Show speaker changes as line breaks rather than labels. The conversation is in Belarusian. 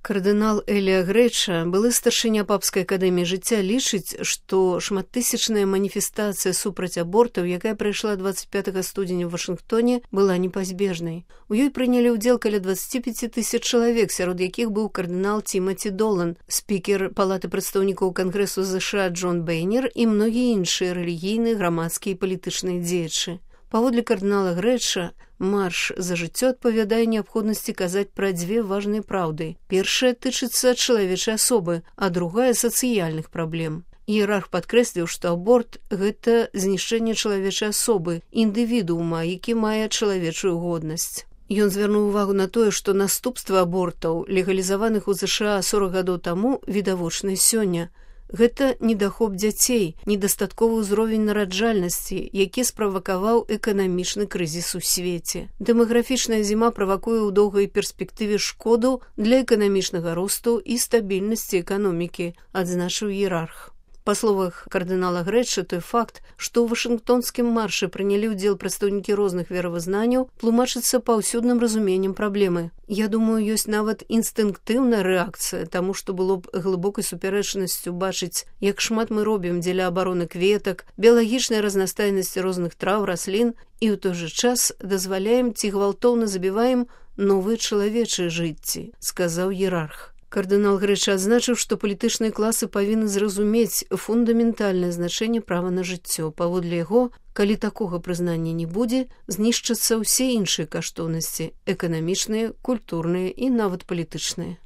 Кардынал Элія Грэча, былы старшыня папскай акадэміі жыцця, лічыць, што шматтысячная маніфестацыя супраць абортаў, якая прайшла 25 студзеня ў Вашынгтоне, была непазбежнай. У ёй прынялі ўдзел каля 25 тысяч чалавек, сярод якіх быў кардынал Тимати Долан, спікер Палаты прадстаўнікоў Кангрэсу ЗША Джон Бэйнер і многія іншыя рэлігійныя, грамадскія і палітычныя дзеячы. Паводле кардынала Грэча, марш за жыццё адпавядае неабходнасці казаць пра дзве важныя праўды. Першая тычыцца чалавечай асобы, а другая сацыяльных праблем. Іерарх падкрэсліў, што аборт – гэта знішчэнне чалавечай асобы, індывідуума, які мае чалавечую годнасць. Ён звярнуў увагу на тое, што наступствы абортаў, легалізаваных у ЗША 40 гадоў таму, відавочныя сёння. Гэта недахоп дзяцей, недастатковы ўзровень нараджальнасці, які справакаваў эканамічны крызіс у свеце. Дэмаграфічная зіма правакуе ў доўгай перспектыве шкоду для эканамічнага росту і стабільнасці эканомікі, адзначыў іерарх. Па словах кардынала Грэча, той факт, што ў вашынгтонскім маршы прынялі ўдзел прадстаўнікі розных веравызнанняў, тлумачыцца паўсюдным разуменнем праблемы. Я думаю, ёсць нават інстынктыўная рэакцыя, таму што было б глыбокай супярэчнасцю бачыць, як шмат мы робім дзеля абароны кветак, біялагічнай разнастайнасці розных траў, раслін, і ў той жа час дазваляем ці гвалтоўна забіваем новыя чалавечыя жыцці, сказаў іерарх. Кардынал Грэча адзначыў, што палітычныя класы павінны зразумець фундаментальнае значэнне права на жыццё. Паводле яго, калі такога прызнання не будзе, знішчацца ўсе іншыя каштоўнасці – эканамічныя, культурныя і нават палітычныя.